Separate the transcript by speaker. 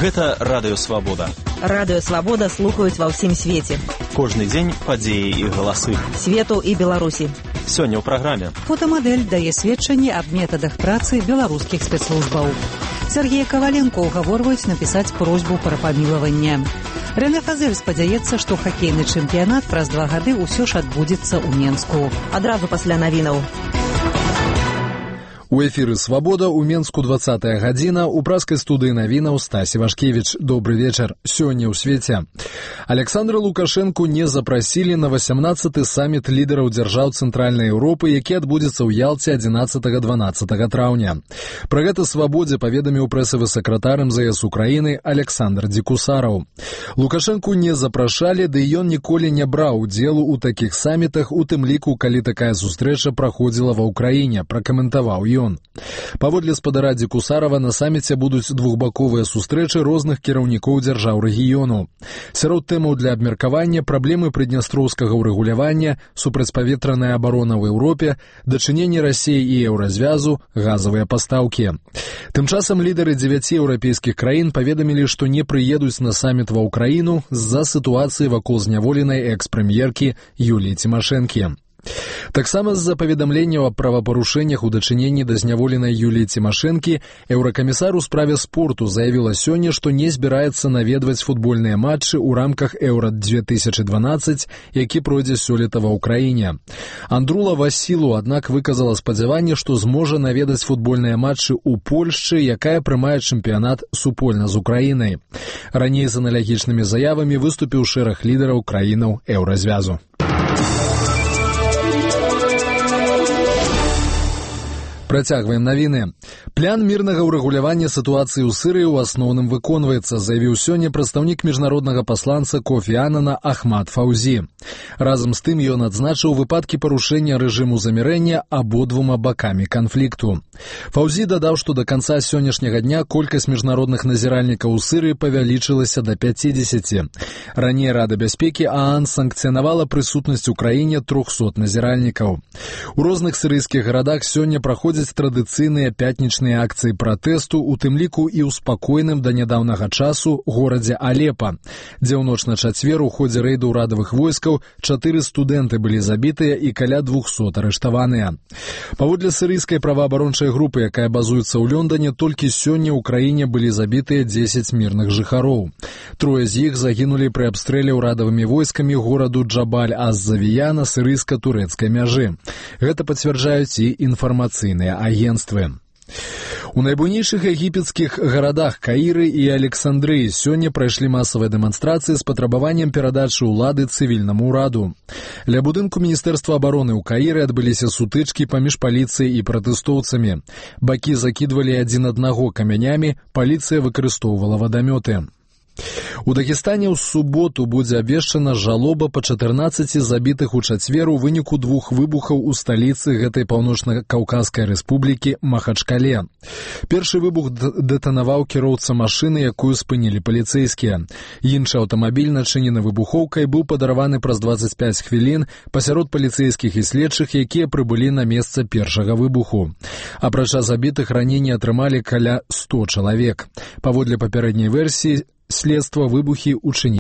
Speaker 1: Гэта Радыё Свабода.
Speaker 2: Радыё Свабода слухаюць ва ўсім свеце.
Speaker 1: Кожны дзень падзеі і галасы.
Speaker 2: Свету і Беларусі.
Speaker 1: Сёння ў праграме.
Speaker 3: Фотамадэль дае сведчанні аб метадах працы беларускіх спецслужбаў. Сергея Коваленко угаворваюць напісаць просьбу пра памілаванне. Рэне Фазель спадзяецца, што хакейны чэмпіянат праз 2 гады ўсё ж адбудзецца ў Менску.
Speaker 2: Адразу пасля навінаў.
Speaker 4: У эфіры «Свабода» у Менску 20-я гадзіна, у праскай студыі навінаў Стась Івашкевіч. Добры вечар. Сёння ў свеце. Александра Лукашэнку не запрасілі на 18-й саміт лідараў дзяржаў Цэнтральнай Еўропы, які адбудзецца ў Ялце 11-12 траўня. Пра гэта «Свабодзе» паведаміў прэсавы сакратар МЗС Украіны Александр Дзікусараў. Лукашэнку не запрашалі, ды ён ніколі не браў удзелу ў такіх самітах, у тым ліку, калі такая сустрэча праходзіла ва ўкраіне, пракаментаваў ён. Паводле спадара Дзікусарава, на саміце будуць двухбаковыя сустрэчы розных кіраўнікоў дзяржаў рэгіёну. Сярод тэмаў для абмеркавання праблемы прыднястроўскага ўрэгулявання, супрацьпаветраная абарона ў Еўропе, дачыненне Расіі і еўразвязу, газавыя пастаўкі. Тым часам лідары 9 еўрапейскіх краін паведамілі, што не прыедуць на саміт ва ўкраіну з-за сітуацыі вакол зняволенай экс-прэм'еркі Юліі Цімашэнкі. Таксама з-за паведамленняў аб правапарушэннях у дачыненні да зняволенай Юліі Цімашэнкі еўракамісар у справе спорту заявіла сёння, што не збіраецца наведваць футбольныя матчы ў рамках Еўра-2012, які пройдзе сёлета ва ўкраіне. Андрула Васілу, аднак, выказала спадзяванне, што зможа наведаць футбольныя матчы ў Польшчы, якая прымае чэмпіянат супольна з Украінай. Раней з аналагічнымі заявамі выступіў шэраг лідараў краінаў еўразвязу. Працягваем навіны. План мірнага ўрэгулявання сітуацыі ў Сірыі ў асноўным выконваецца, заявіў сёння прадстаўнік міжнароднага пасланца Кофі Анана Ахмад Фаўзі. Разам з тым ён адзначыў выпадкі парушэння рэжыму замірэння абодвума бакамі канфлікту. Фаўзі дадаў, што да канца сённяшняга дня колькасць міжнародных назіральнікаў у Сірыі павялічылася да 50. Раней Рада бяспекі ААН санкцыянавала прысутнасць у краіне 300 назіральнікаў. У розных сірыйскіх гарадах сёння праходзяць традыцыйныя пятнічныя акцыі пратэсту, у тым ліку і ў спакойным да нядаўнага часу горадзе Алепа, дзе ў ноч на чацвер у ходзе рэйду ўрадавых войскаў 4 студэнты былі забітыя і каля 200 арыштаваныя. Паводле сірыйскай праваабарончай групы, якая базуецца ў Лондоне, толькі сёння ў краіне былі забітыя 10 мірных жыхароў. 3 з іх загінулі пры абстрэле ўрадавымі войскамі гораду Джабаль-аз-Завія на сірыйска-турэцкай мяжы. Гэта пацвярджаюць і інфармацыйныя агенствы. У найбуйнейшых егіпецкіх гарадах Каіры і Александрыі сёння прайшлі масавыя дэманстрацыі з патрабаваннем перадачы ўлады цывільнаму ўраду. Ля будынку Міністэрства абароны ў Каіры адбыліся сутычкі паміж паліцыяй і пратэстоўцамі. Бакі закідвалі адзін аднаго камянямі, паліцыя выкарыстоўвала вадамёты. У Дагестане ў суботу будзе абвешчана жалоба па 14 забітых у чацвер у выніку 2 выбухаў у сталіцы гэтай паўночна-каўказскай рэспублікі Махачкале. Першы выбух дэтанаваў кіроўца машыны, якую спынілі паліцэйскія. Іншы аўтамабіль, начынены выбухоўкай, быў падарваны праз 25 хвілін пасярод паліцэйскіх і следчых, якія прыбылі на месца першага выбуху. Апрача забітых, раненні атрымалі каля 100 чалавек. Паводле папярэдняй версіі, следства выбухі учынілі